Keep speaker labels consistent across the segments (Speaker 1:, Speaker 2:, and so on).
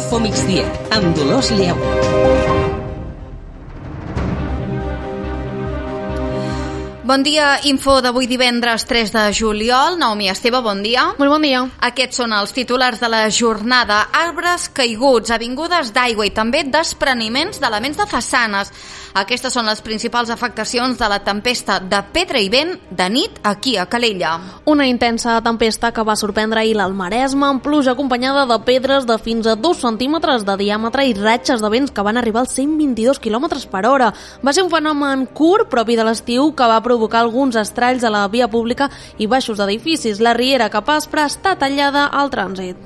Speaker 1: Infomigdia, amb Dolors Lleu.
Speaker 2: Bon dia, info d'avui divendres 3 de juliol. Naomi Esteve, bon dia.
Speaker 3: Molt bon dia.
Speaker 2: Aquests són els titulars de la jornada. Arbres caiguts, avingudes d'aigua i també despreniments d'elements de façanes. Aquestes són les principals afectacions de la tempesta de pedra i vent de nit aquí a Calella.
Speaker 3: Una intensa tempesta que va sorprendre ahir al Maresme amb pluja acompanyada de pedres de fins a 2 centímetres de diàmetre i ratxes de vents que van arribar als 122 km per hora. Va ser un fenomen curt, propi de l'estiu, que va provocar alguns estralls a la via pública i baixos d'edificis. La riera Cap Aspre està tallada al trànsit.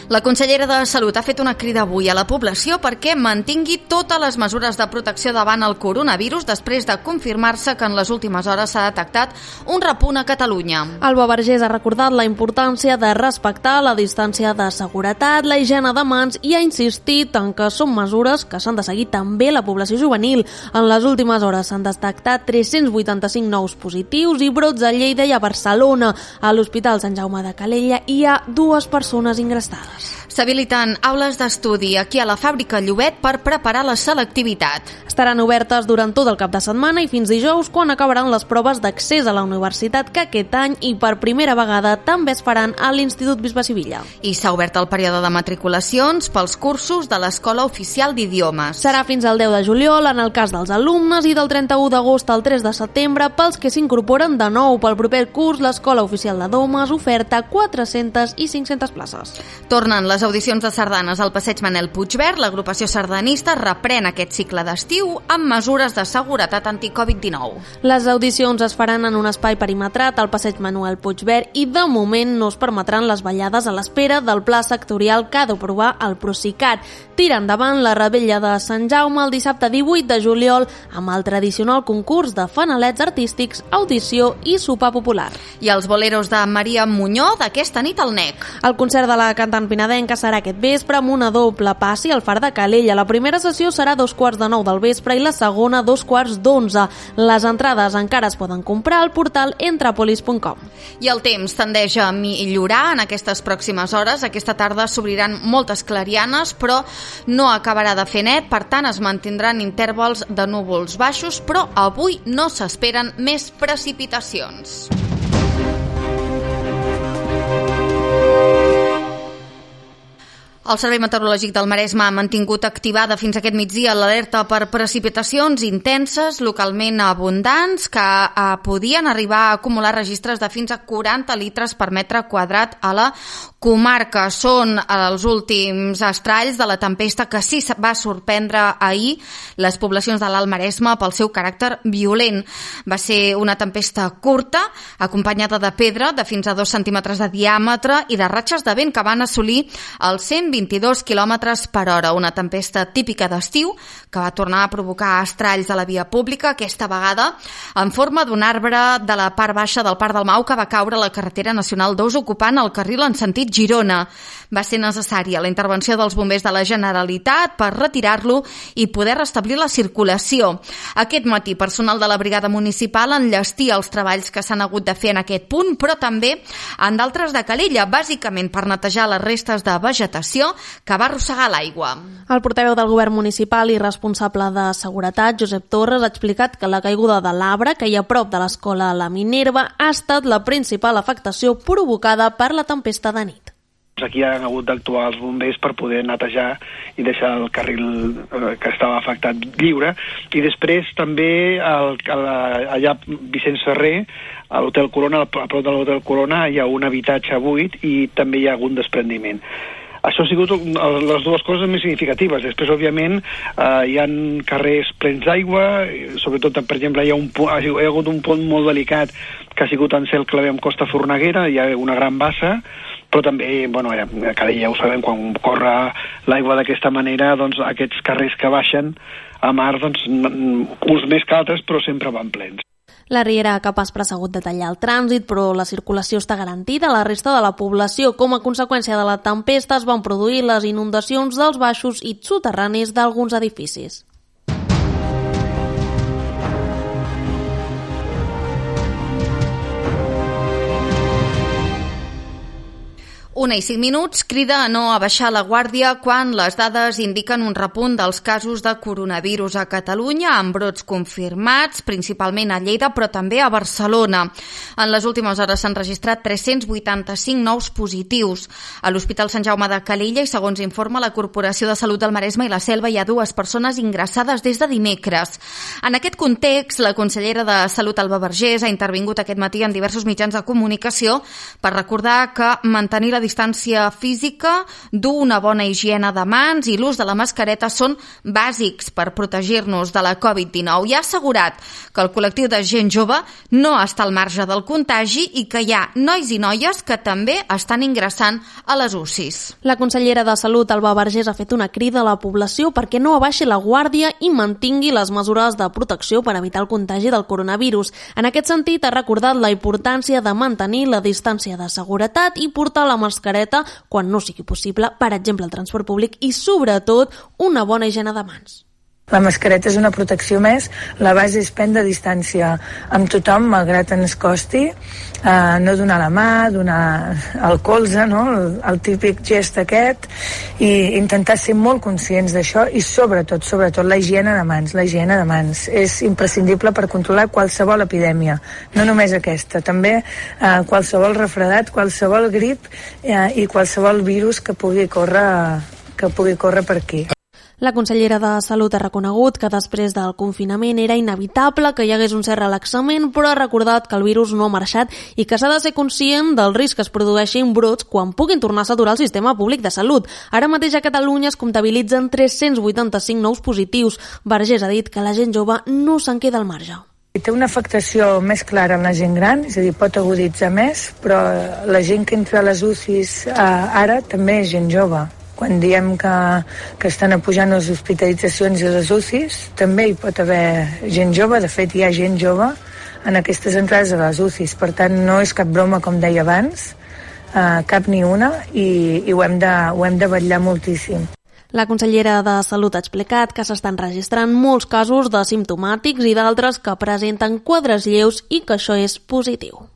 Speaker 2: La consellera de Salut ha fet una crida avui a la població perquè mantingui totes les mesures de protecció davant el coronavirus després de confirmar-se que en les últimes hores s'ha detectat un repunt a Catalunya.
Speaker 3: Alba Vergés ha recordat la importància de respectar la distància de seguretat, la higiene de mans i ha insistit en que són mesures que s'han de seguir també la població juvenil. En les últimes hores s'han detectat 385 nous positius i brots a Lleida i a Barcelona. A l'Hospital Sant Jaume de Calella hi ha 2 persones ingressades.
Speaker 2: S'habiliten aules d'estudi aquí a la fàbrica Llobet per preparar la selectivitat.
Speaker 3: Estaran obertes durant tot el cap de setmana i fins dijous, quan acabaran les proves d'accés a la universitat que aquest any i per primera vegada també es faran a l'Institut Bisbe Sivilla.
Speaker 2: I s'ha obert el període de matriculacions pels cursos de l'Escola Oficial d'Idiomes.
Speaker 3: Serà fins al 10 de juliol en el cas dels alumnes i del 31 d'agost al 3 de setembre pels que s'incorporen de nou. Pel proper curs, l'Escola Oficial de Domes oferta 400 i 500 places.
Speaker 2: Tornen les audicions de sardanes al Passeig Manel Puigverd. L'agrupació sardanista reprèn aquest cicle d'estiu amb mesures de seguretat anti-Covid-19.
Speaker 3: Les audicions es faran en un espai perimetrat al Passeig Manuel Puigverd i de moment no es permetran les ballades a l'espera del pla sectorial que ha d'aprovar el Procicat. Tira endavant la Revetlla de Sant Jaume el dissabte 18 de juliol amb el tradicional concurs de fanalets artístics, audició i sopar popular.
Speaker 2: I els boleros de Maria Muñoz d'aquesta nit al NEC.
Speaker 3: El concert de la cantant pinadenca serà aquest vespre amb una doble passi al Far de Calella. La primera sessió serà a 9:15 del vespre i la segona a 11:15. Les entrades encara es poden comprar al portal entrapolis.com.
Speaker 2: I el temps tendeix a millorar en aquestes pròximes hores. Aquesta tarda s'obriran moltes clarianes, però no acabarà de fer net, per tant es mantindran intervals de núvols baixos, però avui no s'esperen més precipitacions. El Servei Meteorològic del Maresme ha mantingut activada fins aquest migdia l'alerta per precipitacions intenses, localment abundants, que podien arribar a acumular registres de fins a 40 litres per metre quadrat a la comarca. Són els últims estralls de la tempesta que sí va sorprendre ahir les poblacions de l'Alt Maresme pel seu caràcter violent. Va ser una tempesta curta, acompanyada de pedra de fins a 2 centímetres de diàmetre i de ratxes de vent que van assolir els 122 km per hora. Una tempesta típica d'estiu que va tornar a provocar estralls a la via pública, aquesta vegada en forma d'un arbre de la part baixa del Parc del Mau que va caure a la carretera nacional 2 ocupant el carril en sentit Girona. Va ser necessària la intervenció dels bombers de la Generalitat per retirar-lo i poder restablir la circulació. Aquest matí, personal de la brigada municipal enllestia els treballs que s'han hagut de fer en aquest punt, però també en d'altres de Calella, bàsicament per netejar les restes de vegetació que va arrossegar l'aigua.
Speaker 3: El portaveu del govern municipal i responsable de seguretat, Josep Torres, ha explicat que la caiguda de l'arbre que hi ha a prop de l'escola La Minerva ha estat la principal afectació provocada per la tempesta de nit.
Speaker 4: Aquí han hagut d'actuar els bombers per poder netejar i deixar el carril que estava afectat lliure. I després també allà Vicenç Ferrer, a l'Hotel Corona, a prop de l'Hotel Corona, hi ha un habitatge buit i també hi ha hagut desprendiment. Això ha sigut les dues coses més significatives. Després, òbviament, hi ha carrers plens d'aigua, sobretot, per exemple, hi ha hagut un pont molt delicat que ha sigut en Cel Clavé amb Costa Forneguera, hi ha una gran bassa, però també, a Calella ja ho sabem, quan corre l'aigua d'aquesta manera, doncs aquests carrers que baixen a mar, doncs, uns més que altres, però sempre van plens.
Speaker 3: La riera Cap Aspre ha hagut de tallar el trànsit, però la circulació està garantida a la resta de la població. Com a conseqüència de la tempesta es van produir les inundacions dels baixos i soterranis d'alguns edificis.
Speaker 2: 1:05, crida a no abaixar la guàrdia quan les dades indiquen un repunt dels casos de coronavirus a Catalunya, amb brots confirmats, principalment a Lleida, però també a Barcelona. En les últimes hores s'han registrat 385 nous positius. A l'Hospital Sant Jaume de Calella, i segons informa la Corporació de Salut del Maresme i la Selva, hi ha 2 persones ingressades des de dimecres. En aquest context, la consellera de Salut, Alba Vergés, ha intervingut aquest matí en diversos mitjans de comunicació per recordar que mantenir la distància física, dur una bona higiene de mans i l'ús de la mascareta són bàsics per protegir-nos de la Covid-19 i ha assegurat que el col·lectiu de gent jove no està al marge del contagi i que hi ha nois i noies que també estan ingressant a les UCIs.
Speaker 3: La consellera de Salut, Alba Vergés, ha fet una crida a la població perquè no abaixi la guàrdia i mantingui les mesures de protecció per evitar el contagi del coronavirus. En aquest sentit, ha recordat la importància de mantenir la distància de seguretat i portar la mascareta quan no sigui possible, per exemple, el transport públic i, sobretot, una bona higiene de mans.
Speaker 5: La mascareta és una protecció més, la base és prendre distància amb tothom, malgrat ens costi, no donar la mà, donar el colze, no? El típic gest aquest, i intentar ser molt conscients d'això i sobretot la higiene de mans. La higiene de mans és imprescindible per controlar qualsevol epidèmia, no només aquesta, també qualsevol refredat, qualsevol grip i qualsevol virus que pugui córrer per aquí.
Speaker 3: La consellera de Salut ha reconegut que després del confinament era inevitable que hi hagués un cert relaxament, però ha recordat que el virus no ha marxat i que s'ha de ser conscient del risc que es produeixin brots quan puguin tornar a saturar el sistema públic de salut. Ara mateix a Catalunya es comptabilitzen 385 nous positius. Vergés ha dit que la gent jove no se'n queda al marge.
Speaker 5: Té una afectació més clara en la gent gran, és a dir, pot aguditzar més, però la gent que entra a les UCIs ara també és gent jove. Quan diem que estan pujant les hospitalitzacions i les UCIs, també hi pot haver gent jove, de fet hi ha gent jove en aquestes entrades a les UCIs, per tant no és cap broma, com deia abans, cap ni una, i ho hem de vetllar moltíssim.
Speaker 3: La consellera de Salut ha explicat que s'estan registrant molts casos de simptomàtics i d'altres que presenten quadres lleus i que això és positiu.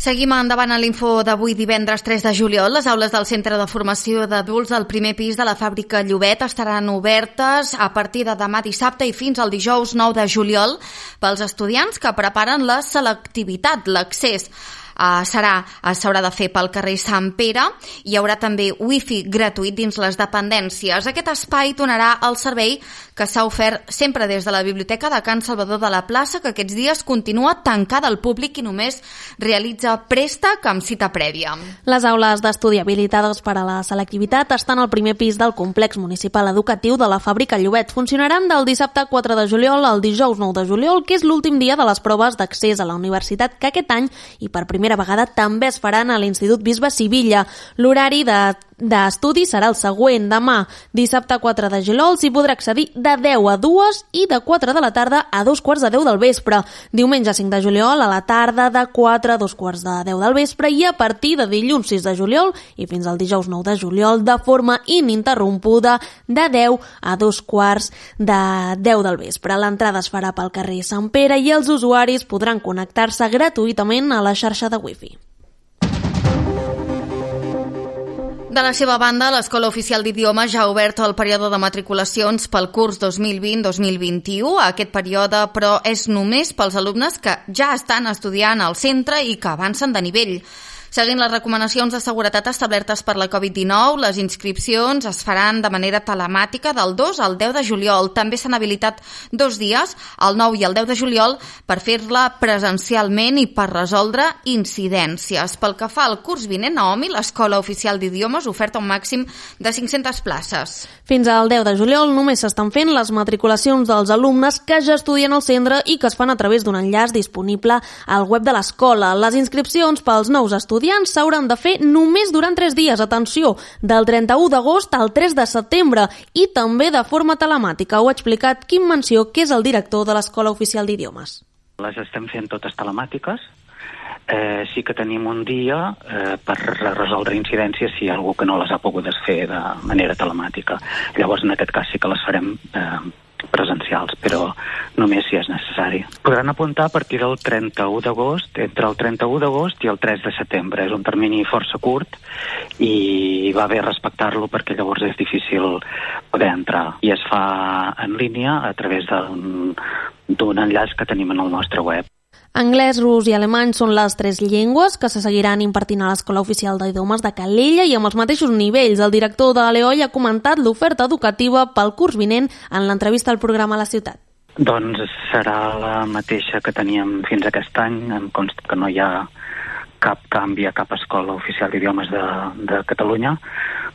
Speaker 2: Seguim endavant a l'info d'avui, divendres 3 de juliol. Les aules del Centre de Formació d'Adults del primer pis de la fàbrica Llobet estaran obertes a partir de demà dissabte i fins al dijous 9 de juliol pels estudiants que preparen la selectivitat, l'accés. S'haurà de fer pel carrer Sant Pere. Hi haurà també wifi gratuït dins les dependències. Aquest espai donarà el servei que s'ha ofert sempre des de la Biblioteca de Can Salvador de la Plaça, que aquests dies continua tancada al públic i només realitza préstec amb cita prèvia.
Speaker 3: Les aules d'estudi habilitades per a la selectivitat estan al primer pis del complex municipal educatiu de la fàbrica Llobet. Funcionaran del dissabte 4 de juliol al dijous 9 de juliol, que és l'últim dia de les proves d'accés a la universitat, que aquest any, i per primera vegada, també es faran a l'Institut Bisbe Sivilla. L'horari d'estudi serà el següent. Demà, dissabte 4 de juliol, s'hi podrà accedir de 10 a 2 i de 4 de la tarda a 2:15 del vespre. Diumenge 5 de juliol a la tarda de 4 a 2:15 del vespre i a partir de dilluns 6 de juliol i fins al dijous 9 de juliol de forma ininterrompuda de 10 a 2:15 del vespre. L'entrada es farà pel carrer Sant Pere i els usuaris podran connectar-se gratuïtament a la xarxa de wifi.
Speaker 2: De la seva banda, l'Escola Oficial d'Idiomes ja ha obert el període de matriculacions pel curs 2020-2021. Aquest període, però, és només pels alumnes que ja estan estudiant al centre i que avancen de nivell. Seguint les recomanacions de seguretat establertes per la Covid-19, les inscripcions es faran de manera telemàtica del 2 al 10 de juliol. També s'han habilitat 2 dies, el 9 i el 10 de juliol, per fer-la presencialment i per resoldre incidències. Pel que fa al curs vinent, Naomi, l'Escola Oficial d'Idiomes oferta un màxim de 500 places.
Speaker 3: Fins al 10 de juliol només s'estan fent les matriculacions dels alumnes que ja estudien al centre i que es fan a través d'un enllaç disponible al web de l'escola. Les inscripcions pels nous estudiants s'hauran de fer només durant 3 dies, atenció, del 31 d'agost al 3 de setembre i també de forma telemàtica. Ho ha explicat Quim Menció, que és el director de l'Escola Oficial d'Idiomes.
Speaker 6: Les estem fent totes telemàtiques. Sí que tenim un dia per resoldre incidències si hi ha algú que no les ha pogut fer de manera telemàtica. Llavors, en aquest cas, sí que les farem presencials, però només si és necessari. Podran apuntar a partir del 31 d'agost, entre el 31 d'agost i el 3 de setembre. És un termini força curt i va bé respectar-lo perquè llavors és difícil poder entrar. I es fa en línia a través d'un enllaç que tenim en el nostre web.
Speaker 3: Anglès, rus i alemany són les 3 llengües que se seguiran impartint a l'Escola Oficial d'Idiomes de Calella i amb els mateixos nivells. El director de l'EOI ha comentat l'oferta educativa pel curs vinent en l'entrevista al programa La Ciutat.
Speaker 6: Doncs serà la mateixa que teníem fins aquest any. Em consta que no hi ha cap canvi a cap escola oficial d'idiomes de Catalunya.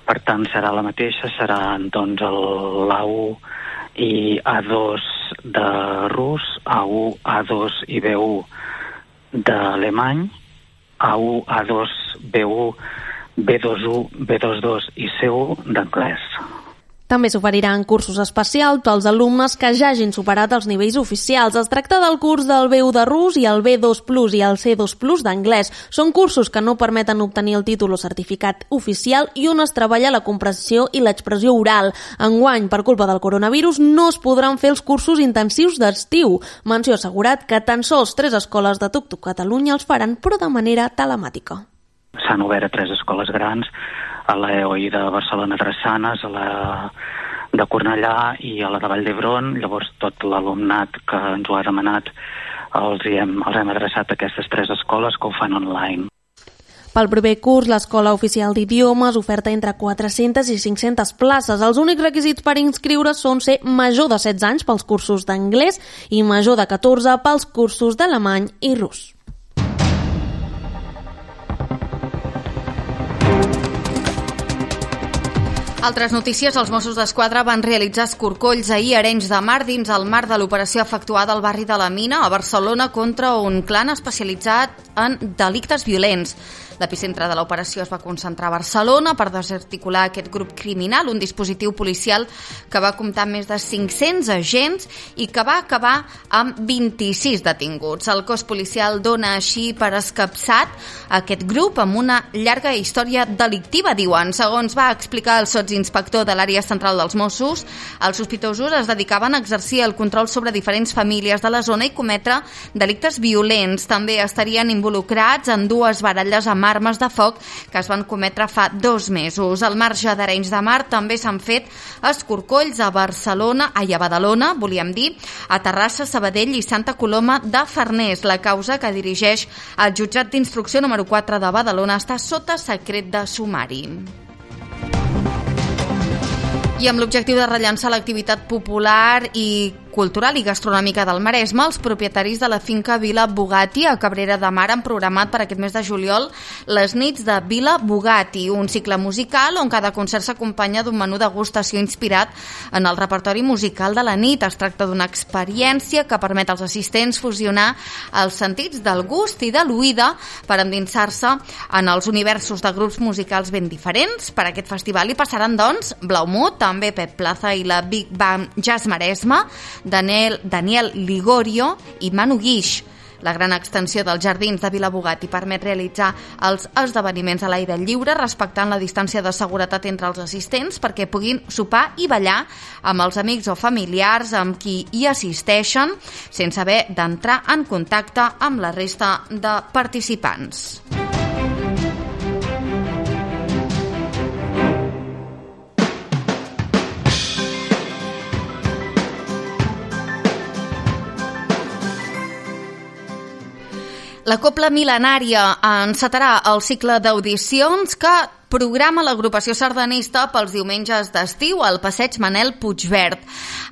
Speaker 6: Per tant, serà la mateixa. Serà doncs l'A1 i A2 de rus, A1, A2 i B1 d'alemany, A1, A2, B1, B2, B2 i C1 d'anglès.
Speaker 3: També s'oferiran cursos especials pels alumnes que ja hagin superat els nivells oficials. Es tracta del curs del B1 de rus i el B2+ i el C2+ d'anglès. Són cursos que no permeten obtenir el títol o certificat oficial i on es treballa la comprensió i l'expressió oral. Enguany, per culpa del coronavirus, no es podran fer els cursos intensius d'estiu. Menció assegurat que tan sols 3 escoles de TUCTUC Catalunya els faran, però de manera telemàtica.
Speaker 6: S'han obert a 3 escoles grans, a l'EOI de Barcelona Drassanes, a la de Cornellà i a la de Vall d'Hebron. Llavors tot l'alumnat que ens ho ha demanat els hem adreçat a aquestes 3 escoles que ho fan online.
Speaker 3: Pel proper curs, l'Escola Oficial d'Idiomes oferta entre 400 i 500 places. Els únics requisits per inscriure són ser major de 16 anys pels cursos d'anglès i major de 14 pels cursos d'alemany i rus.
Speaker 2: Altres notícies, els Mossos d'Esquadra van realitzar escorcolls ahir a Arenys de Mar dins el marc de l'operació efectuada al barri de la Mina a Barcelona contra un clan especialitzat en delictes violents. L'epicentre de l'operació es va concentrar a Barcelona per desarticular aquest grup criminal, un dispositiu policial que va comptar amb més de 500 agents i que va acabar amb 26 detinguts. El cos policial dona així per escapçat aquest grup amb una llarga història delictiva, diuen. Segons va explicar el sotsinspector de l'àrea central dels Mossos, els sospitosos es dedicaven a exercir el control sobre diferents famílies de la zona i cometre delictes violents. També estarien involucrats en 2 baralles amb armes de foc que es van cometre fa 2 mesos. Al marge d'Arenys de Mar també s'han fet escorcolls a Badalona, volíem dir, a Terrassa, Sabadell i Santa Coloma de Farners. La causa que dirigeix el jutjat d'instrucció número 4 de Badalona està sota secret de sumari. I amb l'objectiu de rellançar l'activitat popular i cultural i gastronòmica del Maresme, els propietaris de la finca Vila Bugatti a Cabrera de Mar han programat per aquest mes de juliol les nits de Vila Bugatti, un cicle musical on cada concert s'acompanya d'un menú degustació inspirat en el repertori musical de la nit. Es tracta d'una experiència que permet als assistents fusionar els sentits del gust i de l'oïda per endinsar-se en els universos de grups musicals ben diferents. Per aquest festival hi passaran, doncs, Blaumut, també Pep Plaza i la Big Band Jazz Maresme, Daniel Ligorio i Manu Guix. La gran extensió dels jardins de Vila Bugatti permet realitzar els esdeveniments a l'aire lliure respectant la distància de seguretat entre els assistents perquè puguin sopar i ballar amb els amics o familiars amb qui hi assisteixen sense haver d'entrar en contacte amb la resta de participants. La Copla Mil·lenària encetarà el cicle d'audicions que programa l'agrupació sardanista pels diumenges d'estiu al passeig Manel Puigverd.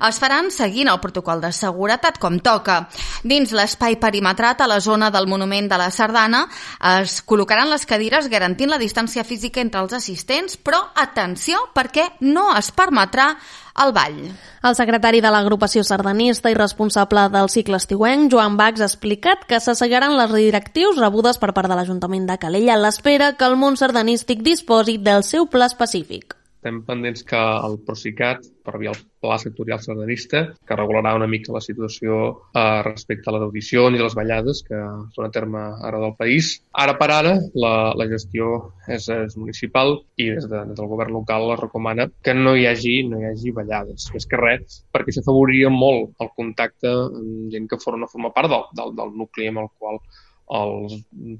Speaker 2: Es faran seguint el protocol de seguretat com toca. Dins l'espai perimetrat a la zona del Monument de la Sardana es col·locaran les cadires garantint la distància física entre els assistents, però atenció perquè no es permetrà el ball.
Speaker 3: El secretari de l'agrupació sardanista i responsable del cicle estiuenc, Joan Bax, ha explicat que s'asseguiran les directrius rebudes per part de l'Ajuntament de Calella a l'espera que el món sardanístic disposi del seu pla específic.
Speaker 7: estem pendents que el Procicat, per via el Pla Sectorial Sardanista, que regularà una mica la situació respecte a les audicions i les ballades que són a terme ara del país. Ara per ara, la gestió és municipal i des del govern local es recomana que no hi hagi ballades. Més que res, perquè s'afavoriria molt el contacte amb gent que no forma part del nucli amb el qual els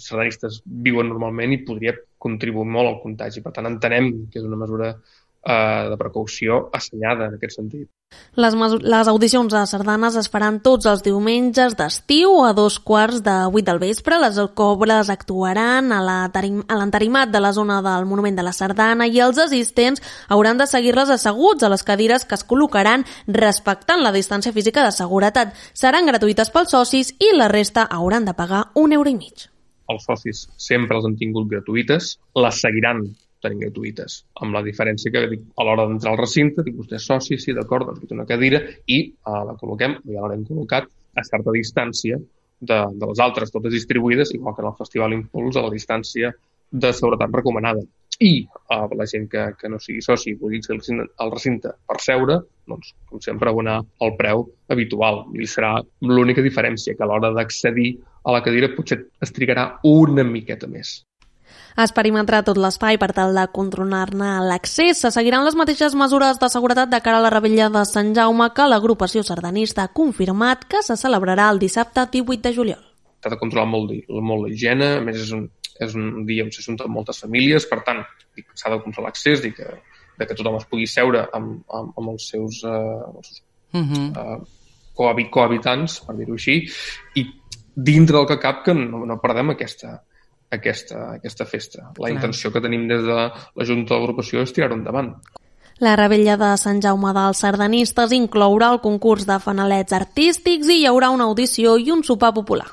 Speaker 7: sardanistes viuen normalment i podria contribuir molt al contagi. Per tant, entenem que és una mesura de precaució assenyada en aquest sentit.
Speaker 3: Les audicions de sardanes es faran tots els diumenges d'estiu a 7:15 del vespre. Les cobres actuaran a l'entarimat de la zona del Monument de la Sardana i els assistents hauran de seguir-les asseguts a les cadires que es col·locaran respectant la distància física de seguretat. Seran gratuïtes pels socis i la resta hauran de pagar €1,50.
Speaker 7: Els socis sempre els han tingut gratuïtes, les seguiran tenint gratuïtes, amb la diferència que a l'hora d'entrar al recinte, dic, vostè és soci, sí, d'acord, doncs té una cadira i la col·loquem, ja l'haurem col·locat a certa distància de les altres, totes distribuïdes, igual que en el Festival Impuls, a la distància de seguretat recomanada. I la gent que no sigui soci i vulgui accedir al recinte per seure, doncs, com sempre, abonar el preu habitual. I serà l'única diferència, que a l'hora d'accedir a la cadira potser es trigarà una miqueta més.
Speaker 3: Es perimetrarà tot l'espai per tal de controlar-ne l'accés. Se seguiran les mateixes mesures de seguretat de cara a la revetlla de Sant Jaume que l'agrupació sardanista ha confirmat que se celebrarà el dissabte 18 de juliol.
Speaker 7: S'ha de controlar molt la higiene, a més és un dia on s'ajunten moltes famílies, per tant, s'ha de controlar l'accés, de que tothom es pugui seure amb els seus cohabitants, per dir-ho així, i dintre del que cap que no perdem aquesta festa. La intenció que tenim des de la Junta de l'Agrupació és tirar-ho endavant.
Speaker 3: La revetlla de Sant Jaume dels sardanistes inclourà el concurs de fanalets artístics i hi haurà una audició i un sopar popular.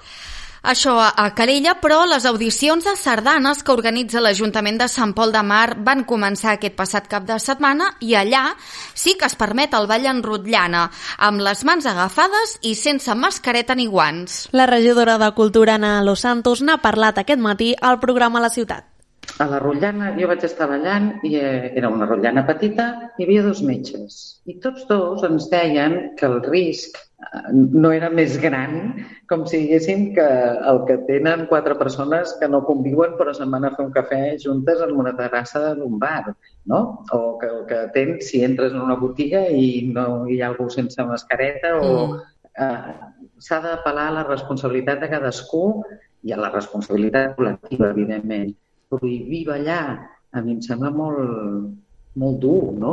Speaker 2: Això a Calella, però les audicions de sardanes que organitza l'Ajuntament de Sant Pol de Mar van començar aquest passat cap de setmana i allà sí que es permet el ball en rotllana, amb les mans agafades i sense mascareta ni guants.
Speaker 3: La regidora de Cultura, Ana Los Santos, n'ha parlat aquest matí al programa La Ciutat.
Speaker 8: A la rotllana jo vaig estar ballant i era una rotllana petita, hi havia 2 metges i tots 2 ens deien que el risc no era més gran com si diguéssim que el que tenen 4 persones que no conviuen però se'n van a fer un cafè juntes en una terrassa d'un bar, no? O que el que tens si entres en una botiga i no hi ha algú sense mascareta o s'ha d'apel·lar a la responsabilitat de cadascú i a la responsabilitat col·lectiva, evidentment. Prohibir ballar a mi em sembla molt dur, no?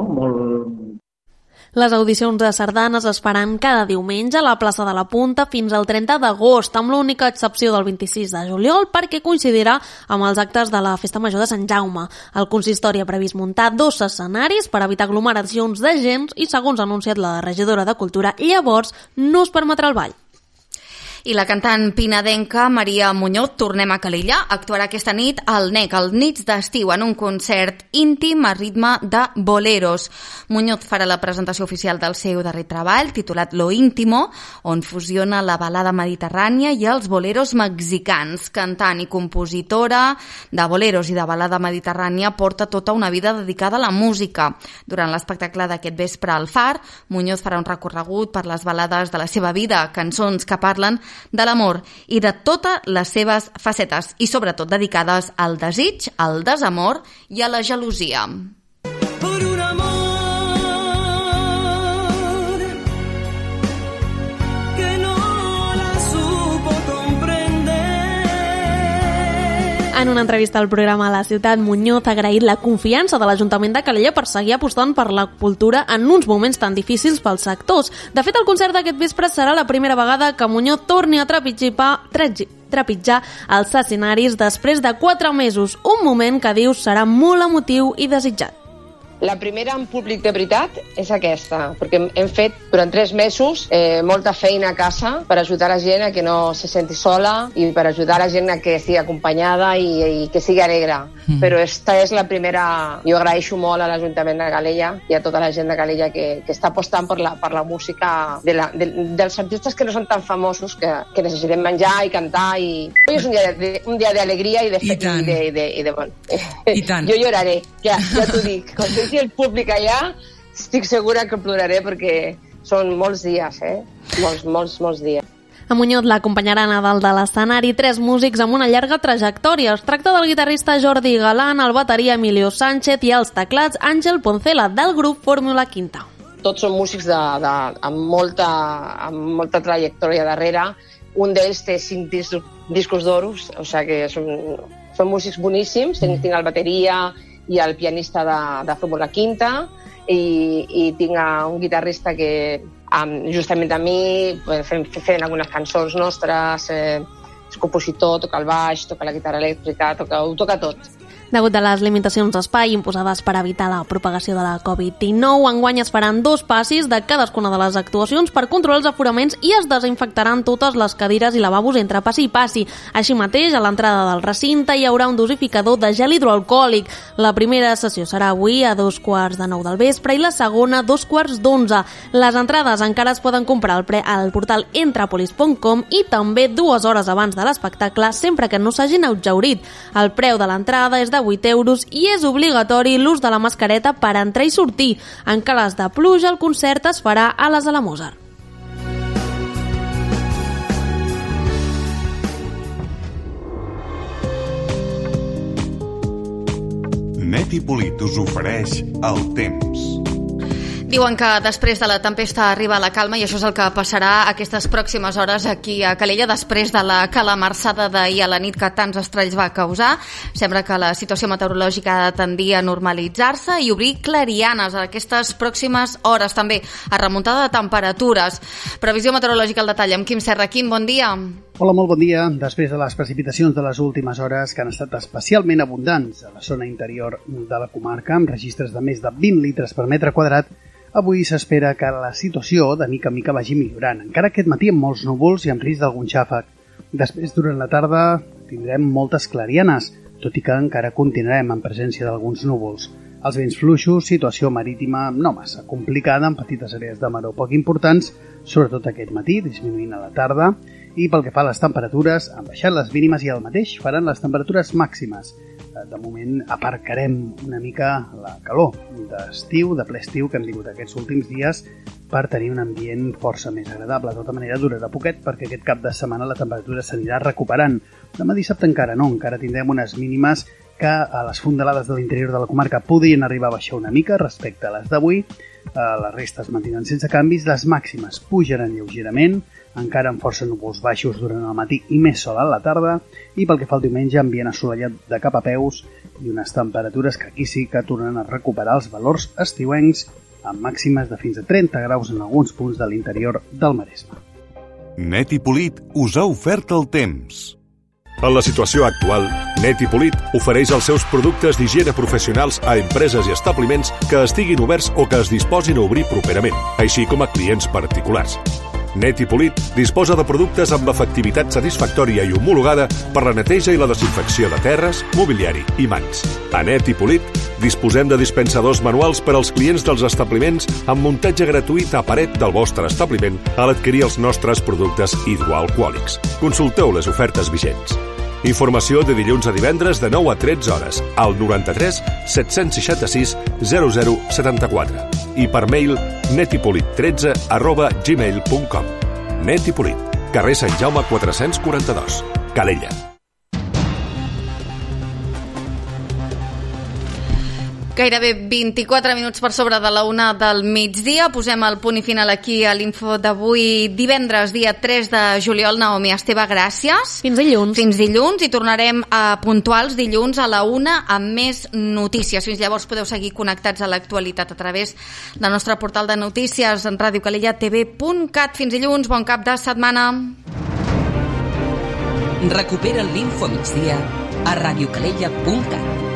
Speaker 3: Les audicions de sardanes es faran cada diumenge a la plaça de la Punta fins al 30 d'agost, amb l'única excepció del 26 de juliol, perquè coincidirà amb els actes de la Festa Major de Sant Jaume. El consistori ha previst muntar 2 escenaris per evitar aglomeracions de gent i, segons ha anunciat la regidora de Cultura, llavors no es permetrà el ball.
Speaker 2: I la cantant pinadenca Maria Muñoz, tornem a Calella, actuarà aquesta nit al NEC, als nits d'estiu, en un concert íntim a ritme de boleros. Muñoz farà la presentació oficial del seu darrer treball, titulat Lo Íntimo, on fusiona la balada mediterrània i els boleros mexicans. Cantant i compositora de boleros i de balada mediterrània, porta tota una vida dedicada a la música. Durant l'espectacle d'aquest vespre al Far, Muñoz farà un recorregut per les balades de la seva vida, cançons que parlen de l'amor i de totes les seves facetes i sobretot dedicades al desig, al desamor i a la gelosia.
Speaker 9: Por un amor que no la supo comprender.
Speaker 3: En una entrevista al programa La Ciutat, Muñoz ha agraït la confiança de l'Ajuntament de Calella per seguir apostant per la cultura en uns moments tan difícils pels sectors. De fet, el concert d'aquest vespre serà la primera vegada que Muñoz torni a trepitjar els escenaris després de 4 mesos, un moment que diu serà molt emotiu i desitjat.
Speaker 10: La primera en públic de veritat és aquesta, perquè hem fet durant 3 mesos molta feina a casa per ajudar la gent a que no se senti sola i per ajudar la gent a que estigui acompanyada i que sigui alegre. Però esta és la primera... Jo agraeixo molt a l'Ajuntament de Calella i a tota la gent de Calella que està apostant per la música dels artistes que no són tan famosos, que necessitem menjar i cantar i Hoy es un dia d'alegria i de
Speaker 11: I tant. I tant.
Speaker 10: Jo lloraré, ja t'ho dic. Quan senti el públic allà, estic segura que ploraré perquè són molts dies, molts dies.
Speaker 3: A Muñoz l'acompanyaran a dalt de l'escenari 3 músics amb una llarga trajectòria. Es tracta del guitarrista Jordi Galán, el bateria Emilio Sánchez i els teclats Àngel Poncela, del grup Fórmula Quinta.
Speaker 10: Tots són músics amb molta trajectòria darrere. Un d'ells té 5 discos d'oros, o sigui que són músics boníssims. Tinc el bateria i el pianista de Fórmula Quinta i tinc un guitarrista que justament a mi fent algunes cançons nostres, és compositor, toca el baix, toca la guitarra elèctrica, ho toca tot.
Speaker 3: Degut a les limitacions d'espai imposades per evitar la propagació de la Covid-19, enguany es faran 2 passis de cadascuna de les actuacions per controlar els aforaments i es desinfectaran totes les cadires i lavabos entre passi i passi. Així mateix, a l'entrada del recinte hi haurà un dosificador de gel hidroalcohòlic. La primera sessió serà avui a 9:15 del vespre i la segona a 11:15. Les entrades encara es poden comprar al portal entrapolis.com i també 2 hores abans de l'espectacle, sempre que no s'hagin exhaurit. El preu de l'entrada és de 8 euros i és obligatori l'ús de la mascareta per entrar i sortir. En cas de pluja, el concert es farà a la Sala Mozart.
Speaker 12: Net i Polit us ofereix el temps.
Speaker 2: Diuen que després de la tempesta arriba la calma i això és el que passarà aquestes pròximes hores aquí a Calella després de la calamarsada d'ahir a la nit que tants estralls va causar. Sembla que la situació meteorològica ha de tendir a normalitzar-se i obrir clarianes aquestes pròximes hores, també a remuntada de temperatures. Previsió meteorològica al detall amb Quim Serra. Quim, bon dia.
Speaker 13: Hola, molt bon dia. Després de les precipitacions de les últimes hores, que han estat especialment abundants a la zona interior de la comarca, amb registres de més de 20 litres per metre quadrat, avui s'espera que la situació de mica en mica vagi millorant, encara aquest matí amb molts núvols i amb risc d'algun xàfec. Després, durant la tarda, tindrem moltes clarianes, tot i que encara continuarem en presència d'alguns núvols. Els vents fluixos, situació marítima no massa complicada, amb petites àrees de maror poc importants, sobretot aquest matí, disminuint a la tarda, i pel que fa a les temperatures, han baixat les mínimes i el mateix faran les temperatures màximes. De moment aparcarem una mica la calor d'estiu, de ple estiu que hem tingut aquests últims dies per tenir un ambient força més agradable. De tota manera durarà poquet perquè aquest cap de setmana la temperatura s'anirà recuperant. Demà dissabte encara no, encara tindrem unes mínimes que a les fondalades de l'interior de la comarca podrien arribar a baixar una mica respecte a les d'avui. Les restes mantindran sense canvis, les màximes pujaran lleugerament, encara amb força núvols baixos durant el matí i més sol a la tarda, i pel que fa al diumenge ambient assolellat de cap a peus i unes temperatures que aquí sí que tornen a recuperar els valors estiuencs amb màximes de fins a 30 graus en alguns punts de l'interior del Maresme.
Speaker 12: Net i Polit us ha ofert el temps.
Speaker 14: En la situació actual, Net i Polit ofereix els seus productes d'higiene professionals a empreses i establiments que estiguin oberts o que es disposin a obrir properament, així com a clients particulars. Net i Polit disposa de productes amb l'efectivitat satisfactòria i homologada per la neteja i la desinfecció de terres, mobiliari i mans. A Net i Polit disposem de dispensadors manuals per als clients dels establiments amb muntatge gratuït a paret del vostre establiment a l'adquirir els nostres productes hidroalcohòlics. Consulteu les ofertes vigents. Informació de dilluns a divendres de 9 a 13 hores al 93 766 0074 i per mail netipolit13@gmail.com. Net i Polit, carrer Sant Jaume 442, Calella.
Speaker 2: Gairebé 24 minuts per sobre de la 1 del migdia. Posem el punt i final aquí a l'info d'avui, divendres, dia 3 de juliol. Naomi Esteve, gràcies.
Speaker 3: Fins dilluns.
Speaker 2: Fins dilluns, i tornarem a puntuals dilluns a la 1 amb més notícies. Fins llavors podeu seguir connectats a l'actualitat a través del nostre portal de notícies en radiocalellatv.cat. Fins dilluns, bon cap de setmana.
Speaker 1: Recupera l'Info Migdia a radiocalella.cat.